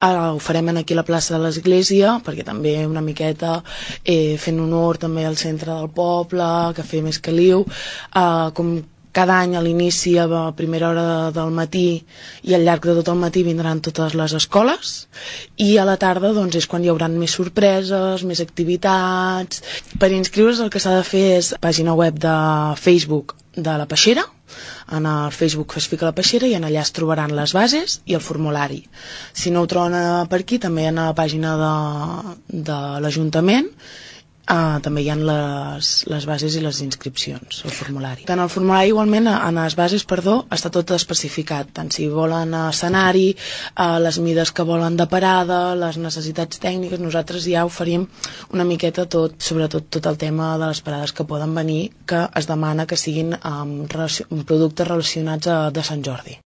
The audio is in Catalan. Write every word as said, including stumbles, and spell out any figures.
Ara ho farem aquí a la plaça de l'església, perquè també una miqueta eh, fent honor també al centre del poble, que fer més caliu, eh, com cada any a l'inici a la primera hora del matí i al llarg de tot el matí vindran totes les escoles, i a la tarda doncs, és quan hi haurà més sorpreses, més activitats. Per inscriure's el que s'ha de fer és pàgina web de Facebook de la Peixera, en el Facebook es fica la Peixera i en allà es trobaran les bases i el formulari. Si no ho troben per aquí, també en la pàgina de, de l'Ajuntament Uh, també hi ha les, les bases i les inscripcions, el formulari. Tant el formulari igualment, en les bases, perdó, està tot especificat, tant si volen escenari, uh, les mides que volen de parada, les necessitats tècniques. Nosaltres ja oferim una miqueta tot, sobretot tot el tema de les parades que poden venir, que es demana que siguin um, relacion, productes relacionats a, de Sant Jordi.